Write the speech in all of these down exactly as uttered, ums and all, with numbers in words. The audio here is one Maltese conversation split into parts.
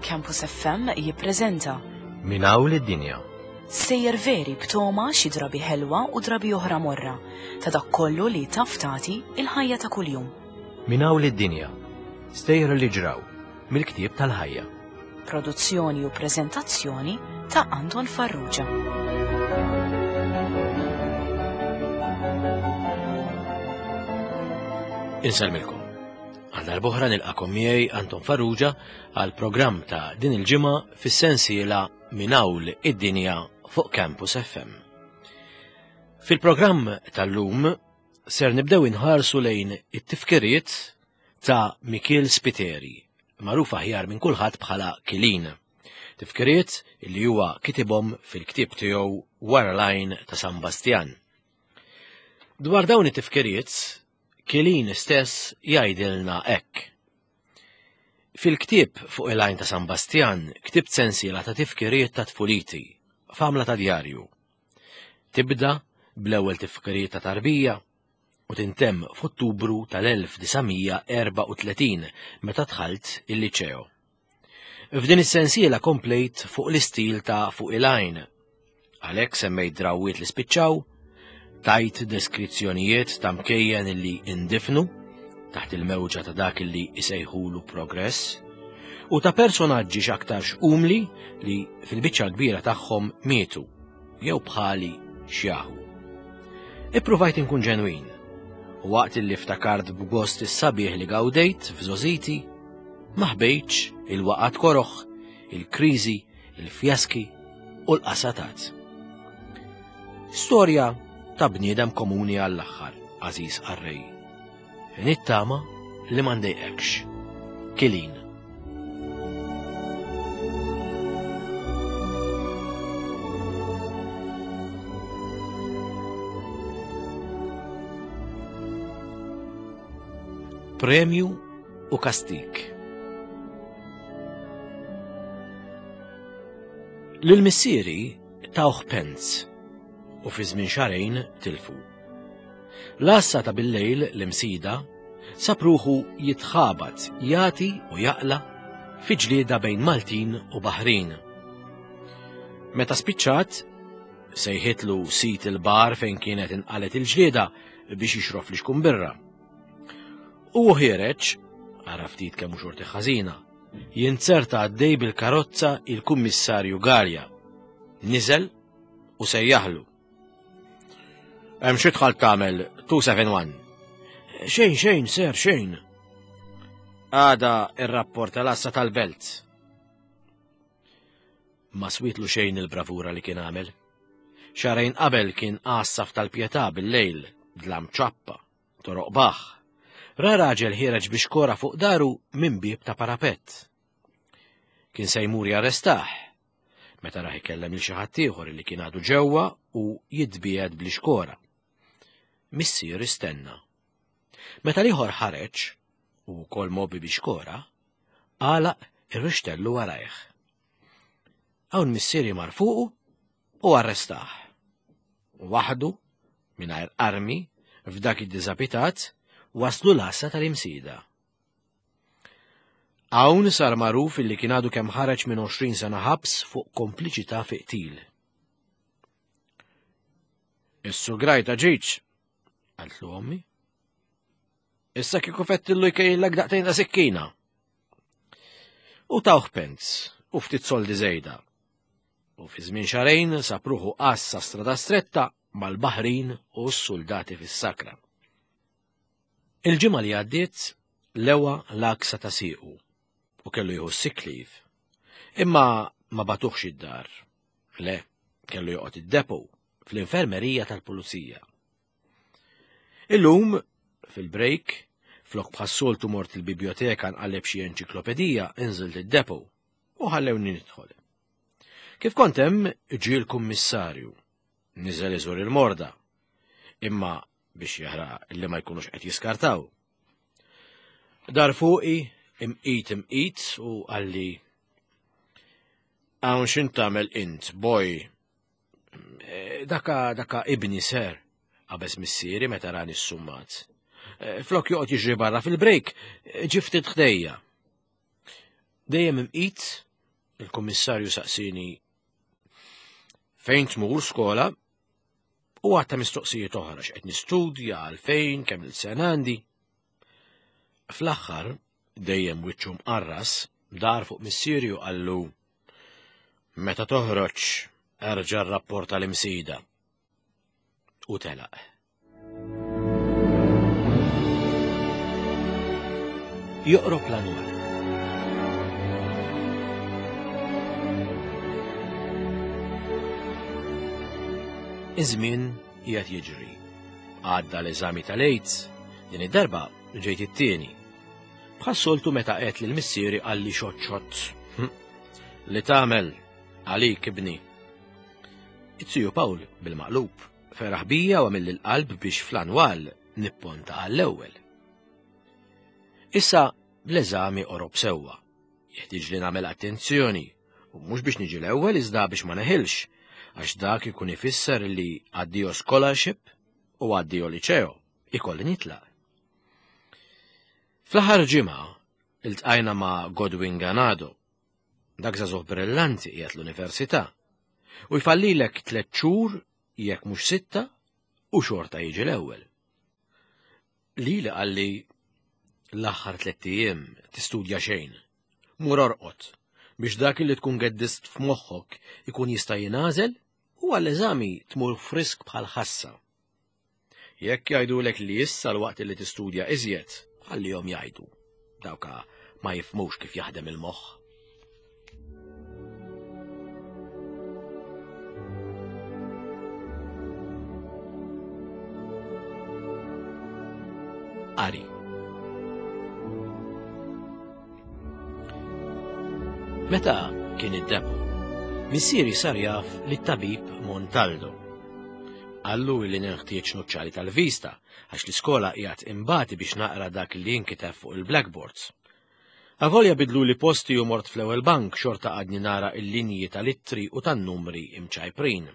Campus F M jippreżenta Minn hawn lid-dinja. Sejjer veri b'toma xi drabi ħelwa u drabi oħra morra ta' dak kollu li taf tagħti il-ħajja ta' kuljum. Minn hawn lid-dinja. Stejjer li ġraw mill-ktieb tal-ħajja. Produzzjoni u preżentazzjoni ta' Anton Farrugia. Insellmilkom. Għal darb'oħra nilqakom miegħi Anton Farrugia għal programm ta' din il-ġimgħa fis-sensiela Minn hawn id-dinja fuq Campus F M. Fil-programm tal-lum ser nibdew inħarsu lejn it-tifkiriet ta' Mikiel Spiteri, magħruf aħjar minn kulħadd bħala Kilin. Tifkiriet li huwa kitibhom fil-ktieb tiegħu Wara l-Għajn ta' San Bastjan. Dwar dawn it-tifkiriet, Kilin stess jgħidilna hekk. Fil-ktieb fuq il-Għajn ta' San Bastjan ktibt sensiela ta' tifkiriet ta' tfuliti, f'għamla ta' djarju. Tibda bl-ewwel tifkiriet ta' tarbija u tintemm f'Ottubru tal-elf disa' mija erba' u tletin meta dħalt il-liċeo. F'din is-sensiela komplejt fuq l-istil ta' fuq il-għajn. Għalhekk semmejt drawwiet li spiċċaw, tajt deskrizzjonijiet ta' mkejjen li indifnu taħt il-mewġa ta' dak li isejħulu progress, u ta' personaġġi x'aktarx umli li fil-biċċa l-kbira tagħhom mietu jew bħali xjaħu. Ippruvajt inkun ġenwin, u waqt li ftakart b'gost is-sabiħ li gawdejt f'żożiti, ma ħbejtx il-waqgħat koroħ, il-kriżi, il-fjaski u l-qasatat. Storja ta' bniedem komuni għall-aħħar, għażiż qarrej. Nittama li ma ndejqekx. Kilin. Premju u kastik. Lil missieri tawh penz u fi żmien xahrejn tilfu. L-għassa ta' bil-lejl l-imsida sab ruħu jitħabat, jagħti u jaqla fi ġlieda bejn Maltin u Baħrin. Meta spiċċat, sejħitlu sit il-bar fejn kienet inqalet il-ġlieda biex jixrof li xkun birra. U ħiereġ, ara ftit kemm hu xorti ħażina, jinzerta għaddej bil-karozza il-kummissarju Galea. Niżel u sejjaħlu. Hemm xi tħall tagħmel two seven one. Xejn, xejn, ser, xejn. Għada ir-rapport tal-assa tal-belt. Ma switlu xejn il-bravura li kien għamel. Xahrejn qabel kien għassaf tal-Pietà bil-lejl, dlam ċappa, toroq baħ. Ra raġel ħiereġ biex kora fuq daru minn bieb ta' parapett. Kien se jmur jarrestah. Meta raħ ikellem lil xi ħadd ieħor li kien għadu ġewwa u jitbiegħed bl-ixkora. Missier istenna. Meta l-ieħor ħareġ, u wkoll mobi biex kora, għalaq ir-rixtellu warajh. Hawn missieri mar fuqu u arrestah. Waħdu, mingħajr armi, f'dak id-diżabitat, waslu l-għassa tal-imsida. Hawn sar magħruf illi kien għadu kemm ħareġ minn għoxrin sena ħabs fuq kompliċità fi qtil. Is-sugrajta ġietx, qaltlu ommi. Issa kieku fettillu jkejjellek daqtejn ta' sikkina. U tawh penz u ftit soldi żejda. U fi żmien xahrejn sab ruħu għassa strada stretta mal-Baħrin u s-soldati fis-sakra. Il-ġimgħa li għaddiet lewa l-aksa ta' siequ u kellu jieħu sick leave. Imma ma batuħx id-dar. Le, kellu joqgħod id-depo fl-infermerija tal-pulizija. Illum, fil-break, flok bħas-soltu mort il-biblioteka nqalleb xi enċiklopedija, inżilt id-depo u ħallewni nidħol. Kif kont hemm ġie l-kummissarju, niżel iżur il-morda, imma biex jara li ma jkunux qed jiskartaw. Dar fuqi imqit imqit u qalli hawn x'int tagħmel int, boy. E, daka, daka ibni ser, qabeż missieri meta rani s-summat. E, flok joqgħod jiġri barra fil-break, ġi ftit ħdejja. Dejjem imqit Il-kummissarju saqsini fejn tmur skola u għatta mistoqsijiet oħra x'qed nistudja, għalfejn, kemm il-sena għandi. Fl-aħħar, dejjem wiċċu mqarras, dar fuq missieri u qallu meta toħroġ erġa' rrapporta l-imsida. U telaq. Joqrob l-anwar. Iż-żmien qiegħed jiġri. Għadda l-eżami tal-AIDS, din id-darba ġejt it-tieni. Bħas-soltu meta qed lil missieri qalli xott xott. Li tagħmel għalik ibni. It-tiju Pawl bil-maqlub feraħ bija u għamil il-qalb biex fl-anwal nipponta għall-ewwel. Issa l-eżami qorob sewwa. Jeħtieġ li nagħmel attenzjoni u mhux biex niġi l-ewwel iżda biex ma neħilx, għax dak ikun ifisser li addio scholarship u addio liceo ikolli nitlaq. Fl-aħħar ġimgħa iltqajna ma' Godwin Ganado. Dak żagħżugħ brillanti qiegħed l-università u jfallilek tliet xhur jekk mhux sitta u xorta jiġi l-ewwel. Lili qalli l-aħħar tliet ijiem tistudja xejn. Mur orqod biex dak li tkun geddist f'moħħok ikun jista' jingħażel u għall-eżami tmur frisk bħal ħassa. Jekk jgħidulek li issa l-waqt li tistudja iżjed, ħallihom jgħidu. Dawka ma jifhmux kif jaħdem il-moħħ. Qari. Meta kien id-depo, missieri sar jaf li t-tabib Montaldo. Qallu li neħtieġ nuċċali tal-vista għax l-iskola qiegħed imbati biex naqra dak li jinkiteb fuq il-blackboards. Avolja bidlu li posti u mort fl-ewwel bank xorta għadni nara il-linji tal-ittri u tan-numri imċajprin.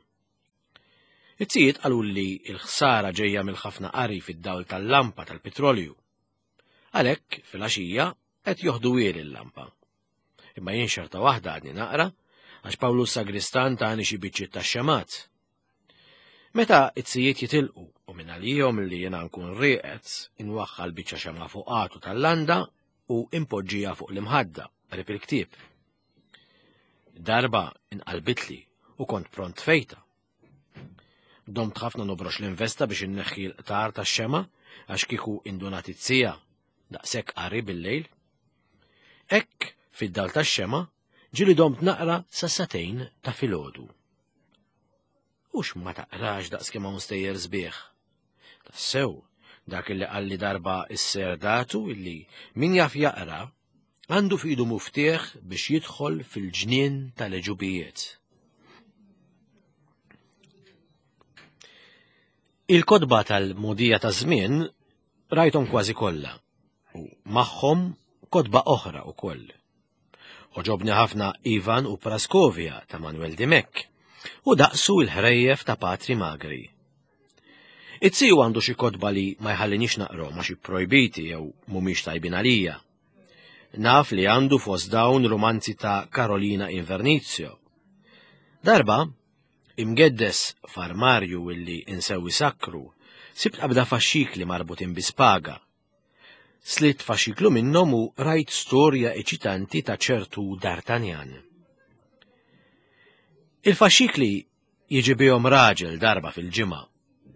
It-tijiet qalu li l-ħsara ġejja mill-ħafna qari fid-dawl tal-lampa tal-petrolju. Għalhekk fil-għaxija qed joħdu wiel il-lampa. Imma jien xorta waħda għadni naqra għax Pawlu Sagristan tani xi biċċiet tax-xemat. Meta it-sijiet jitilqu u minn għalihom li jiena nkun rieqed inwaħħal biċċa xemgħa fuq għatu tal-landa u impoġġija fuq l-imħadda qrib il-ktieb. Darba inqalbitli u kont pront fejta. Domt ħafna nobrox l-investa biex inneħħi l-qtar tax-xema għax kieku indunat it-sija daqshekk qari bil-lejl. Hekk fid-dal tax-xema ġieli domt naqra sa satejn ta' filgħodu. Ux ma taqrax daqs kemm hawn stejjer sbieħ. Tassew, dak illi qalli darba s-ser datu illi min jaf jaqra għandu f'idu muftieħ biex jidħol fil-ġnien tal-eġubijiet. Il-kotba tal-modija ta' żmien rajthom kważi kollha u magħhom kotba oħra wkoll. Oġobni ħafna Ivan u Praskovia ta' Manuel Dimech u daqsu l-ħrejjef ta' Patri Magri. It-siju għandu xi kotba li ma jħallinix naqrom għax projbiti jew mhumiex tajbin għalija. Naf li għandu fost dawn romanzi ta' Carolina Invernizio. Darba, imgeddes f'armarju illi insewi sakru, sibt qabda faxxikli marbutin bi spaga. Slit faxxiklu minnhom u rajt storja eċitanti ta' ċertu D'Artagnan. Il-faxxikli jiġi bihom raġel darba fil-ġimgħa,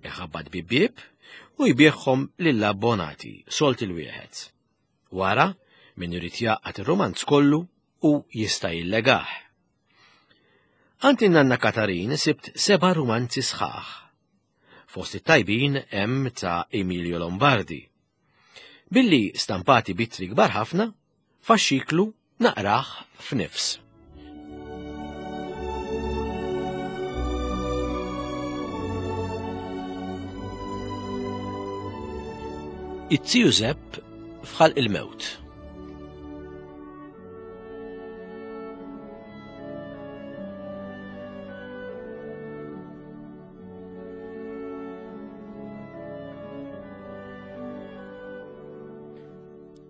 iħabbat bibieb u jbieħhom lill-abbonati solt il-wieħed. Wara, min irid jaqgħad ir-romanz kollu u jista' jillegah. Għand in-nanna Katarin sibt seba' romanzi sħaħ. Fost it-tajbin hemm ta' Emilio Lombardi. Billi stampati bitri kbar ħafna, faxxiklu naqrah f'nifs. It-tiju Zepp f'ħalq il-mewt.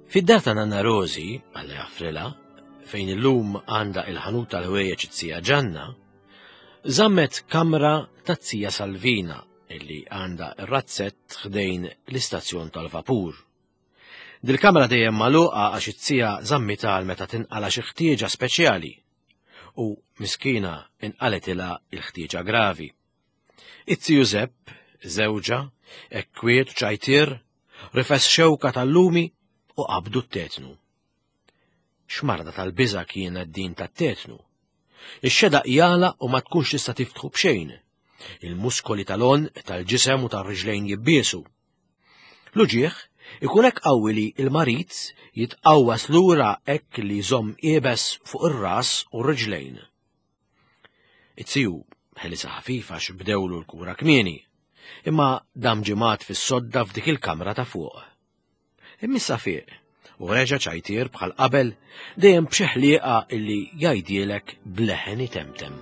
Fid-dar ta' Nanna Rosi, Alla jaħfrilha, fejn illum għandha il-ħanut tal-ħwejjeġ it-tija Ġanna, żammet kamra tat-tija Salvina illi għandha r-razzett ħdejn l-istazzjon tal-vapur. Dil-kamra dejjem magħluqa għax it-tija żammitha għal meta tinqala xi ħtieġa speċjali u miskina inqaletilha il-ħtieġa gravi. It-tiju Zepp, żewġha, ekwiet u ċajtier, rifes xewka tal-lumi u qabdu t-tetnu. X'marda tal-biża' kienet din tat-tetnu. Ix-xedaq jala u ma tkunx tista' tiftħu b'xejn. Il-muskoli tal-għonq, tal-ġisem u tar-riġlejn jibbiesu. L-uġigħ ikun hekk qawwi li l-marid jitqawwas lura hekk li jżomm iebes fuq ir-ras u r-riġlejn. It-tiju ħelisa ħafif għax bdewlu l-kura kmieni, imma dam ġimgħat fis-sodda f'dik il-kamra ta' fuq. Imma fieq u reġa' ċajtier bħal qabel dejjem b'xi ħlieqa illi jgħidilek bleħen itemtem.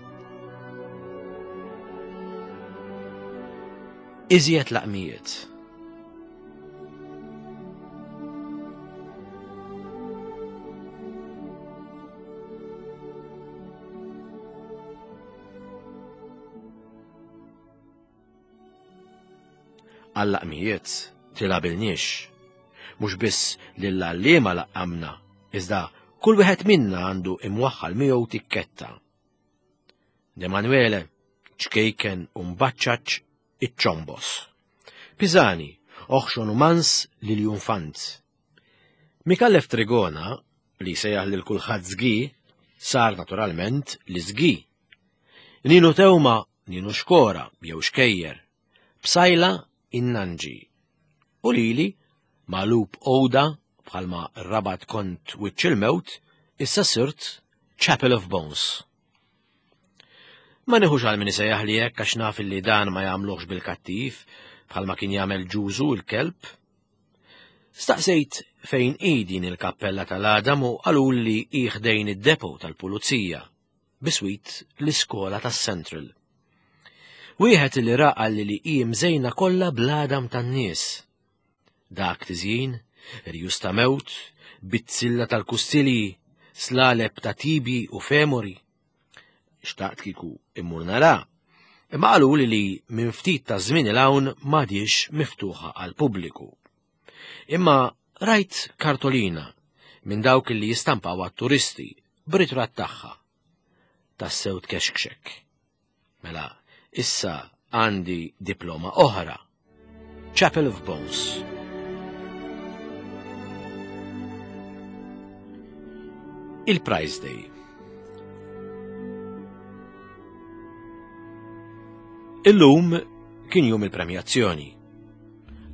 Iżjed laqmijiet. Għal-laqmijiet tilabilniex. Mhux biss lill-għalliema laqqamna, iżda kull wieħed minna għandu imwaħħal miegħu tikketta. Demanuele, ċkejken u mbaċċaċ iċ-ċombos. Pisani, oħxon u mans lil Junfant. Mikallef Trigona, li sejjaħ lil kulħadd żgi, sar naturalment li żgi. Ninu Tewma, Ninu Xkora, jew Xkejjer, Psajla innanġi. U lili, magħlub Oda, bħalma rabat kont wiċċ il-mewt, issa sirt Chapel of Bones. Ma nieħux għal min isejjaħ li hekk għax naf li dan ma jagħmluhx bil-kattiv, bħalma kien jagħmel ġużu l-kelb. Staqsejt fejn hi din il-kappella tal-Adam u qalu li hi ħdejn id-depo tal-pulizija, biswit l-iskola tas-Central. Wieħed li ra qal li hi mżejna kollha bl-għadam tan-nies. Dak tiżjin, rjus ta' mewt, bizzilla tal-kustilji, slaleb ta' tibi u femori. Xtaqt kieku immur nara, imma qalu li li minn ftit ta' żmien il hawn m'għadix miftuħa għall-pubbliku. Imma rajt kartolina minn dawk li jistampaw għat-turisti b'ritratt tagħha. Tassew tkexkxek. Mela, issa għandi diploma oħra. Chapel of Bones. Il-Prize Day. Illum kien jum il-premjazzjoni.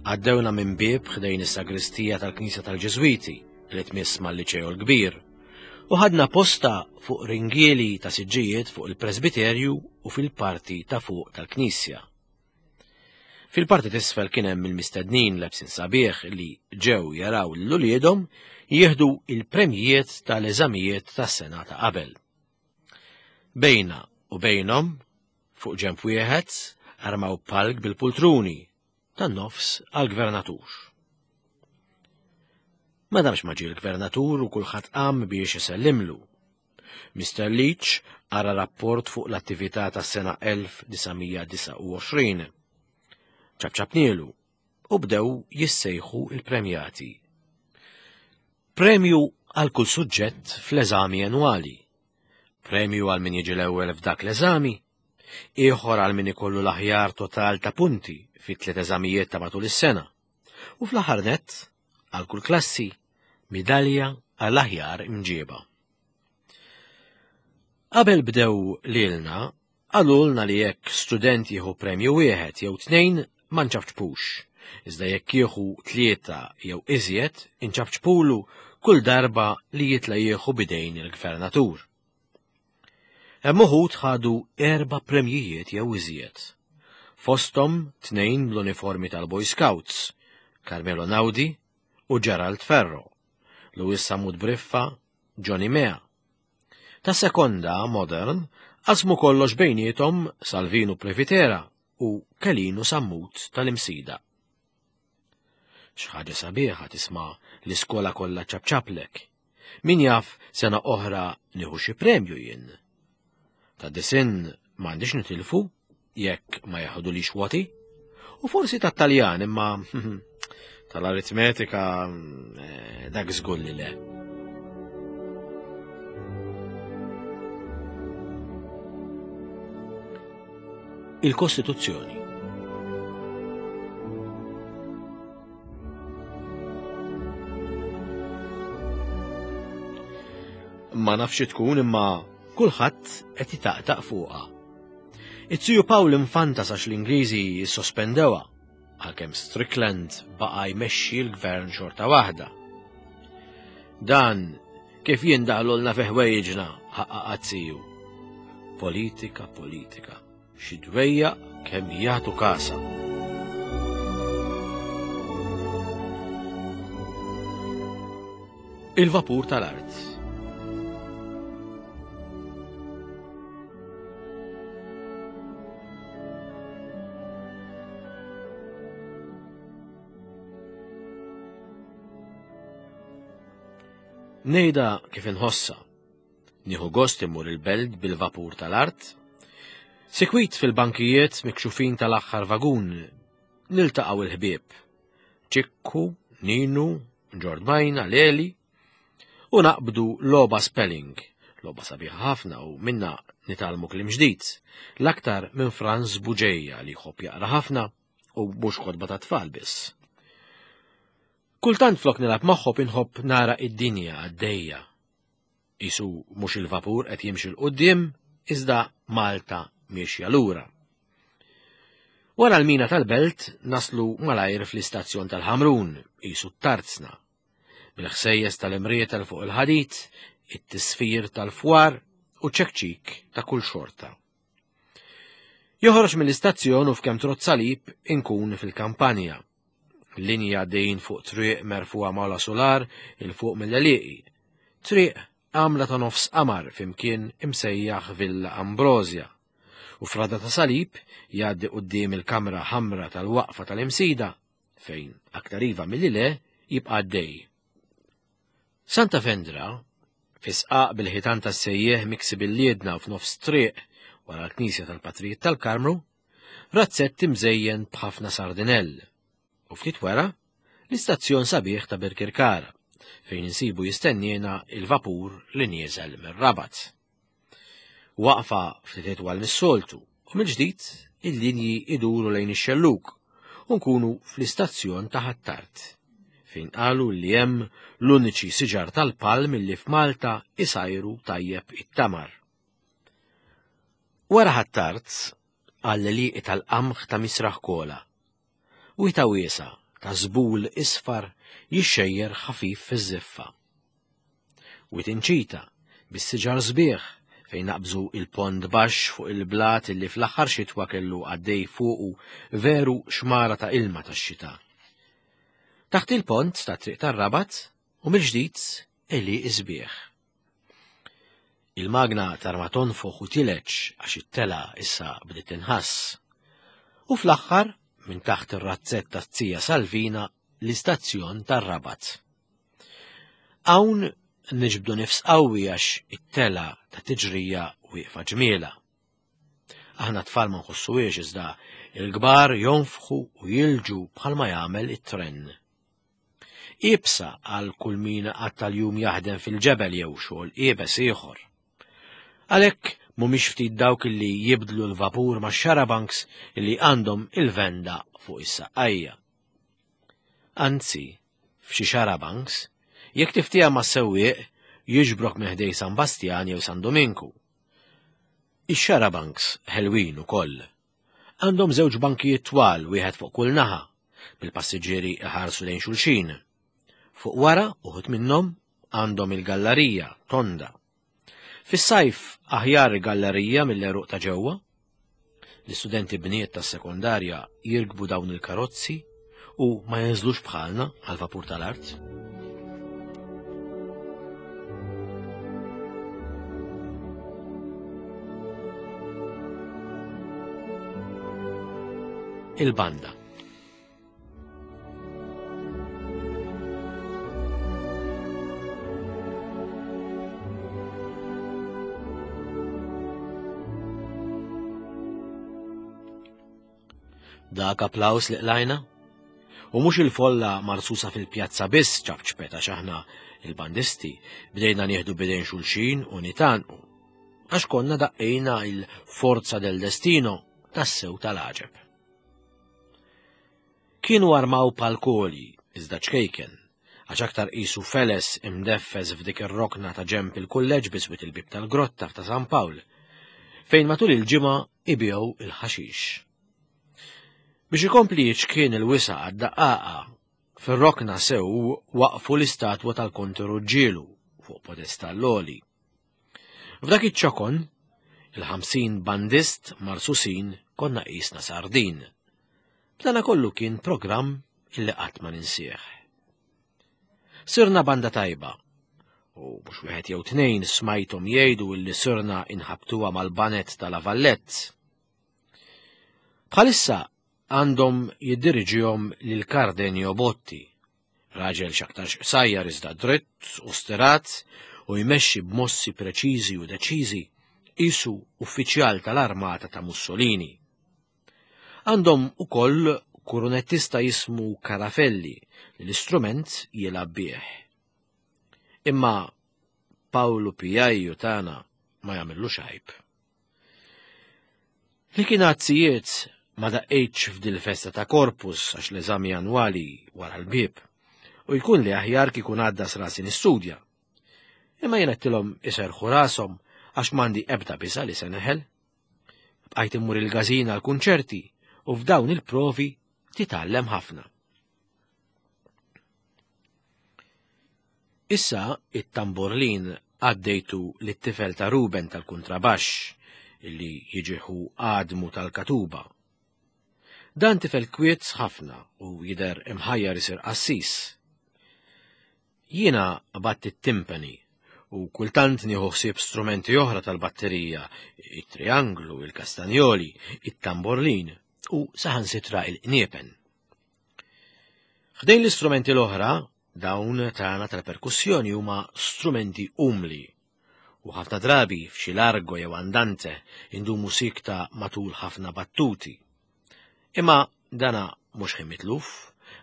Għaddewna minn bieb ħdejn is-sagristija tal-Knisja tal-Ġiżwiti li tmiss mal-Liċeo l-Kbir u ħadna posta fuq ringieli ta' siġġijiet fuq il-presbiterju u fil-parti ta' fuq tal-Knisja. Fil-parti t'isfel kien hemm il-mistednin lebsin sabiħ li ġew jaraw lil uliedhom jieħdu il-premjijiet tal-eżamijiet tas-sena ta' qabel. Bejna u bejnhom, fuq ġenb wieħed, armaw palk bil-pultruni tan-nofs għall-gvernatur. Ma damx ma ġie l-gvernatur u kulħadd qam biex isellimlu. Mister Leach qara rapport fuq l-attività tas-sena elf disa' mija disgħa u għoxrin. Ċabċabnielu u bdew jissejħu il-premjati. Premju għal kull suġġett fl-eżami annwali. Premju għal min jiġi l-ewwel f'dak l-eżami, ieħor għal min ikollu l-aħjar total ta' punti fit tliet eżamijiet ta' matul is-sena. U fl-aħħar nett, għal kull klassi, midalja għal aħjar imġieba. Qabel bdew lilna, qalulna li jekk student jieħu premju wieħed jew tnejn ma nċafċpux, iżda jekk jieħu tlieta jew iżjed inċafċpulu kull darba li jitla jieħu bidejn il-gvernatur. Hemm uħud ħadu erba' premjijiet jew iżjed. Fosthom tnejn bl-uniformi tal-Boy Scouts, Carmelo Naudi u Gerald Ferro, Luis Samud Briffa, Johnny Mea. Ta' sekonda modern qasmu kollox bejniethom Salvinu Previtera u Kelinu Sammut tal-Imsida. X'ħaġa sabiħa tisma' l-iskola kollha ċabċaplek. Min jaf sena oħra nieħu xi premju jien. Ta' disinn m'għandix nitilfu jekk ma jaħdulix woti. U forsi ta' Taljan imma tal-aritmetika eh, dak żgur li le. Il-Kostituzzjoni. Ma nafx tkun imma kulħadd qed jitaqtaq fuqha. It-Tiju Pawl infanta sax l-Ingliżi jissospendewha għalkemm Strickland baqa' jmexxi l-gvern xorta waħda. Dan kif jindaħlulna fi ħwejjiġna ħaqqaqat siju. Politika, politika, xi dwejjaq kemm jagħtu kasa. Il-vapur tal-art. Nejda kif inħossa. Nieħu gost immur il-belt bil-vapur tal-art. Sikwit fil-bankijiet mikxufin tal-aħħar vagun niltaqgħu il-ħbieb. Ċikku, Ninu, Ġordmajna, Leli u naqbdu logħba spelling, logħba sabiħa ħafna u minna nitgħallmu kliem ġdid, l-aktar minn Franz Buġeja li jħobb jaqra ħafna u mhux kotba ta' tfal biss. Kultant flok nilgħab magħhom inħobb nara id-dinja għaddejja. Isu mhux il-vapur qed jimxi 'l quddiem, iżda Malta miexja lura. Wara l-mina tal-belt naslu malajr fl-istazzjon tal-Ħamrun, isu t-Tarzna. Bil-ħsejjes tal-imrietel fuq il-ħadid, it-tisfir tal-fwar u ċekċik ta' kull xorta. Joħroġ mill-istazzjon u f'kemm trott salib inkun fil-kampanja. Linja għaddejjin fuq triq merfuha mawla solar il fuq mill-għelieqi. Triq għamla ta' nofs qamar fimkien imsejjaħ Villa Ambrosia. U frada ta' salib jgħaddi quddiem il-kamra ħamra tal-waqfa tal-imsida fejn aktar iva milli le jibqa' għaddej. Santa Vendra, fisqaq bil-ħitan tas-sejjeħ miksi bil-liedna u f'nofs triq wara l-Knisja tal-Patrijiet tal-Karmru, razzett imżejjen b'ħafna sardinell. U ftit wara, l-istazzjon sabiħ ta' Birkirkara, fejn insibu jistenniena il-vapur li nieżel mir-Rabat. Waqfa ftit itwal mis-soltu, u mill-ġdid il-linji iduru lejn ix-xelluk u nkunu fl-istazzjon ta' Ħ'Attard, fejn qalu li hemm l-uniċi siġar tal-palm li f'Malta isajru tajjeb it-tamar. Wara Ħ'Attard għall-għelieqi tal-qamħ ta' Misraħ Kola. Wita wiesa ta' żbul isfar jixxejjer ħafif fiż-żiffa. Wit inċita bis-siġar sbieħ fejn naqbżu il-pond baxx fuq il-blat illi fl-aħħar xitwa kellu għaddej fuqu veru xmara ta' ilma tax-xita. Taħt il-pont ta' triq tar-Rabat u mill-ġdid għelieqi sbieħ. Il-magna tarma tonfoħ u tileċ għax it-tela issa bdiet tinħass. U fl-aħħar minn taħt ir-razzett ta' Zija Salvina l-istazzjon tar-Rabat. Hawn niġbdu nifs qawwi għax it-tela ta' tiġrija wieqfa ġmiela. Aħna tfal ma nħossuhiex iżda il-kbar jonfħu u jilġu bħalma jagħmel it-tren. Iebsa għal kull min qatt tal-jum jaħdem fil-ġebel jew xogħol iebes ieħor. Għalhekk mhumiex ftit dawk illi jibdlu l-vapur ma' xarabanks illi għandhom il-venda fuq is-saqqajja. Anzi, f'xi xarabanks, jekk tiftija ma' sewwieq jiġbrok minn ħdej San Bastjan jew San Dominku. Ix-xarabanks ħelwin ukoll. Għandhom żewġ bankijiet twal wieħed fuq kull naħa, bil-passiġġieri iħarsu lejn xulxin. Fuq wara uħud minnhom għandhom il-gallerija tonda. Fis-sajf aħjar il-gallerija mill-għeruq ta' ġewwa. L-istudenti bniet tas-sekondarja jirkbu dawn il-karozzi u ma jinżlux bħalna għal-vapur tal-art. Il-banda. Dak applaws li qlajna? U mhux il-folla marsusa fil-pjazza biss ċapċpet għax aħna il-bandisti bdejna nieħdu bidejn xulxin u nitanqu. Għax konna daqqejna il-Forza del Destino tassew tal-għaġeb. Kienu armaw palkoli, iżda ċkejken, għax aktar qisu feles imdeffes f'dik ir-rokna ta' ġemp il-kulleġġ biswit il-bib tal-grotta ta' San Pawl, fejn matul il-ġimgħa ibigħu il-ħaxix. Biex ikompli jiċkien il-wisa għad-daqqaqa, fir-rokna sew waqfu l-istatwa tal-Konti Ruġġielu fuq podestall għoli. F'dak iċ-ċokon, il-ħamsin bandist marsusin konna qisna sardin. B'dana kollu kien programm illi qatt ma ninsieh. Sirna banda tajba, u mhux wieħed jew tnejn smajthom jgħidu illi sirna inħabtuha mal-banet tal-Avallett. Bħalissa għandhom jiddiriġihom lil Cardenio Botti, raġel x'aktarx qsajjar iżda dritt u stirat u jmexxi b'mossi preċiżi u deċiżi qisu uffiċjal tal-armata ta' Mussolini. Għandhom ukoll kurunettista jismu Carafelli li l-istrument jilgħab bih. Imma Paolo Pijajju tagħna ma jagħmillu xajb. Li kien għazzijiet ma daqqejtx f'dil festa ta' Corpus għax l-eżami annwali wara l-bieb u jkun li aħjar kieku ngħaddas rasi nistudja. Imma jien għedtilhom iserħu rashom għax m'għandi ebda biża' li se neħel. Bqajt immur il-gazina għal-kunċerti u f'dawn il-provi titgħallem ħafna. Issa it-tamborlin għaddejtu lit-tifel ta' Ruben tal-kuntrabaxx illi jiġiħu għadmu tal-katuba. Dan tifel kwiet ħafna u jidher imħajjar isir qassis. Jiena batt it-timpani u kultant nieħu ħsieb strumenti oħra tal-batterija, it-trianglu, il-kastanjoli, it-tamborlin u saħansitra il-qniepen. Ħdejn l-istrumenti l-oħra, dawn tagħna tal-perkussjoni huma strumenti umli u ħafna drabi f'xi largo jew andante indumu sikta matul ħafna battuti. Imma dana mhux ħin mitluf,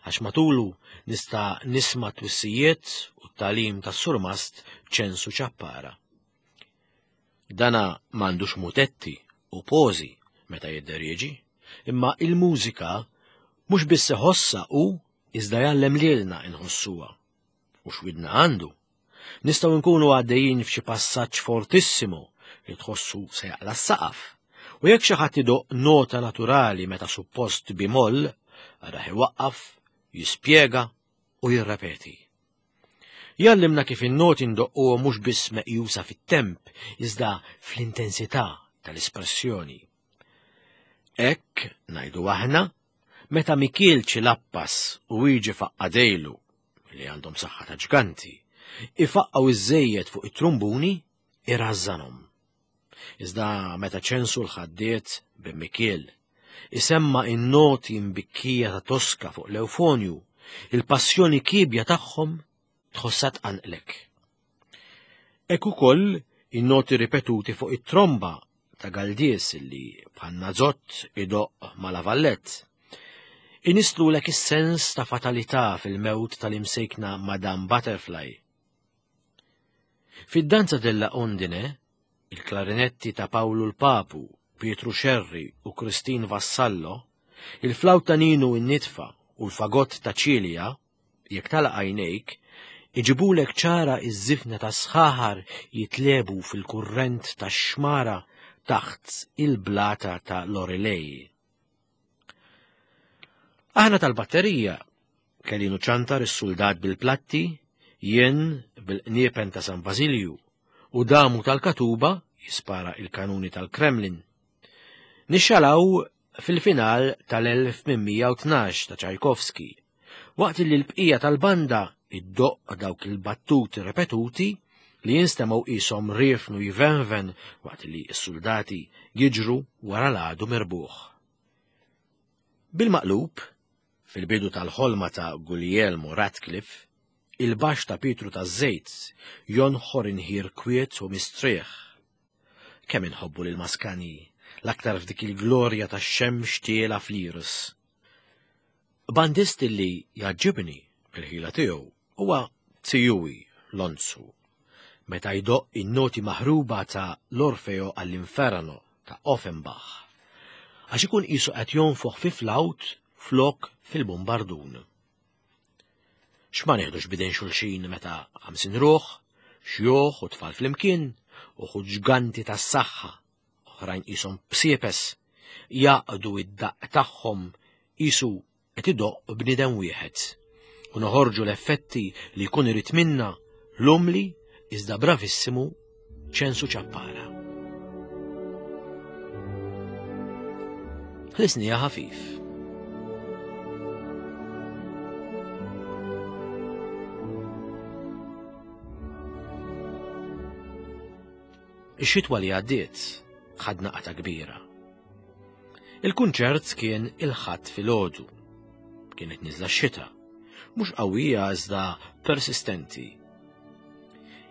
għax matulu nista' nisma' twissijiet u t-tagħlim tas-surmast Ċensu Ċappara. Dana m'għandux mutetti u pożi meta jidderieġi, imma il-mużika mhux biss iħossha u iżda jgħallem lilna inħossuha. U x'widna għandu? Nistgħu nkunu għaddejjin f'xi passaġġ fortissimo li tħossu se jaqla' s-saqaf. U jekk xi ħadd idoq nota naturali meta suppost bimoll, araħ iwaqqaf, jispjega u jirrepeti. Jgħallimna kif in-noti ndoqquhom mhux biss meqjusa fit-temp, iżda fl-intensità tal-espressjoni. Hekk ngħidu aħna meta Mikiel Ċilappas u jiġi faqqadejlu li għandhom saħħa ta' ġganti, ifaqqgħu iż-żejjed fuq it-trumbuni irrażżanhom. Iżda meta Ċensu l-ħaddiet bin Mikiel isemma in-noti mbikkija ta' Tosca fuq l-eufonju, il-passjoni kibja tagħhom tħossha tqanqlek. Hekk ukoll in-noti ripetuti fuq it-tromba ta' Galdies li bħal nażott idoqq ma' Lavallett. Inislulek is-sens ta' fatalità fil-mewt tal-imsejkna Madame Butterfly. Fid-danza della Ondine, il-klarinetti ta' Paolo l-Papu, Pietru Xerri u Christine Vassallo, il-flawta Ninu in-nitfa u l-fagott ta' Ċilja, jekk tagħlaq għajnejk, iġibulek ċara iż-żifna ta' sħaħar jitlebu fil-kurrent tax-xmara taħt il-blata ta' Lorelei. Aħna tal-batterija, Kelinu ċantar is-soldat bil-platti, jien bil-qniepen ta' San Basilju u damu tal-katuba jispara il-kanuni tal-Kremlin. Nixxalaw fil-final tal-elf tmien mija u tnax ta' Tchaikovsky, waqt li l-bqija tal-banda iddoqq dawk il-battuti ripetuti li jinstemgħu qishom riefnu jvenven waqt li s-soldati jiġru wara l-għadu mirbuħ. Bil-maqlub, fil-bidu tal-ħolma ta' Guglielmo Ratcliffe, il-baxx ta' Pietru taż-Żejt jonħor inħir kwiet u mistrieħ. Kemm inħobbu lil Maskani, l-aktar f'dik il-glorja tax-xemx tiela fl-iris. Bandist li jgħaġġibni bil-ħila tiegħu huwa Tijuwi Lonzu. Meta jdoqq in-noti maħruba ta' l-Orfeo għall-Inferno ta' Offenbach. Għax ikun qisu qed jonfoħ fi flawt flok fil-bombardun. X'ma nieħdux bidejn xulxin meta ħamsin ruħ, xjuħ u tfal flimkien, uħud ġganti tas-saħħa, oħrajn qishom bsiepes, jaqdu id-daqq tagħhom qisu qed idoqq bniedem wieħed. U noħorġu l-effetti li jkun irid minna l-umli iżda bravissimu Ċensu Ċappara. Ħlisnija ħafif. Ix-xitwa li għaddiet ħadna qata kbira. Il-kunċert kien il-Ħadd filgħodu. Kienet niżla x-xita, mhux qawwija iżda persistenti.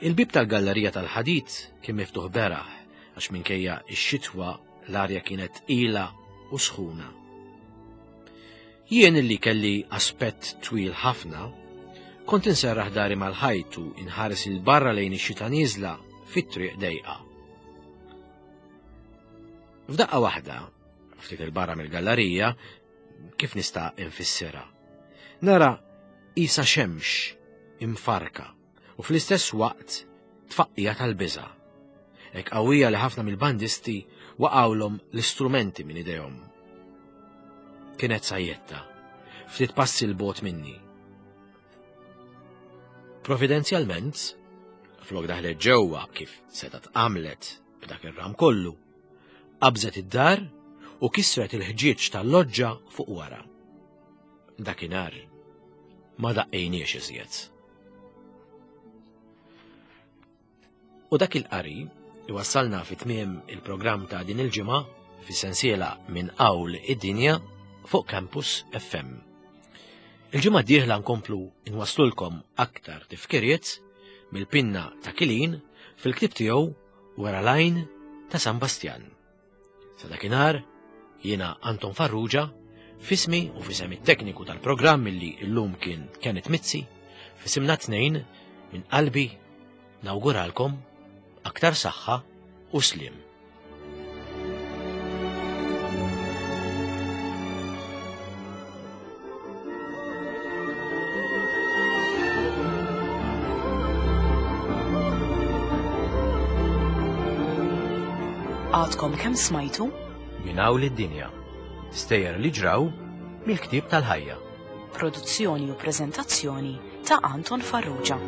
Il-bib tal-gallerija tal-ħadid kien miftuħ beraħ għax minkejja x-xitwa l-arja kienet tqila u sħuna. Jien illi kelli aspett twil ħafna, kont inserraħ dari mal-ħajt u inħares il barra lejn ix-xita nieżla fit-triq dejqa. F'daqqa waħda, ftit il-barra mill-gallerija, kif nista' infissirha? Nara isa xemx imfarka u fl-istess waqt tfaqqija tal-biża'. Hekk qawwija li ħafna mill-bandisti waqgħulhom l-istrumenti minn idejhom. Kienet sajjetta, ftit passi 'l bogħod minni. Providenzjalment, flok daħlet ġewwa kif setgħet għamlet b'dak ir-ram kollu, qabżet id-dar u kisret il-ħġieġ tal-loġġa fuq wara. Dakinhar ma daqqejniex iżjed. U dak il-qari iwassalna fi tmiem il-programm ta' din il-ġimgħa fis-sensiela minn Qawl id-Dinja fuq Campus F M. Il-ġimgħa d-dieħla nkomplu nwaslulkom aktar tifkiriet mill-pinna ta' Kilin fil-ktieb tiegħu Wara l-Għajn ta' San Bastjan. Sa dakinhar jiena Anton Farrugia, fismi u fisem it-tekniku tal-programm illi llum kien Kenneth Mizzi, fisimna tnejn minn qalbi nawguralkom aktar saħħa u slim. Għadkom kemm smajtu? Minn hawn lid-dinja. Stejjer li ġraw mill-ktieb tal-ħajja. Produzzjoni u preżentazzjoni ta' Anton Farrugia.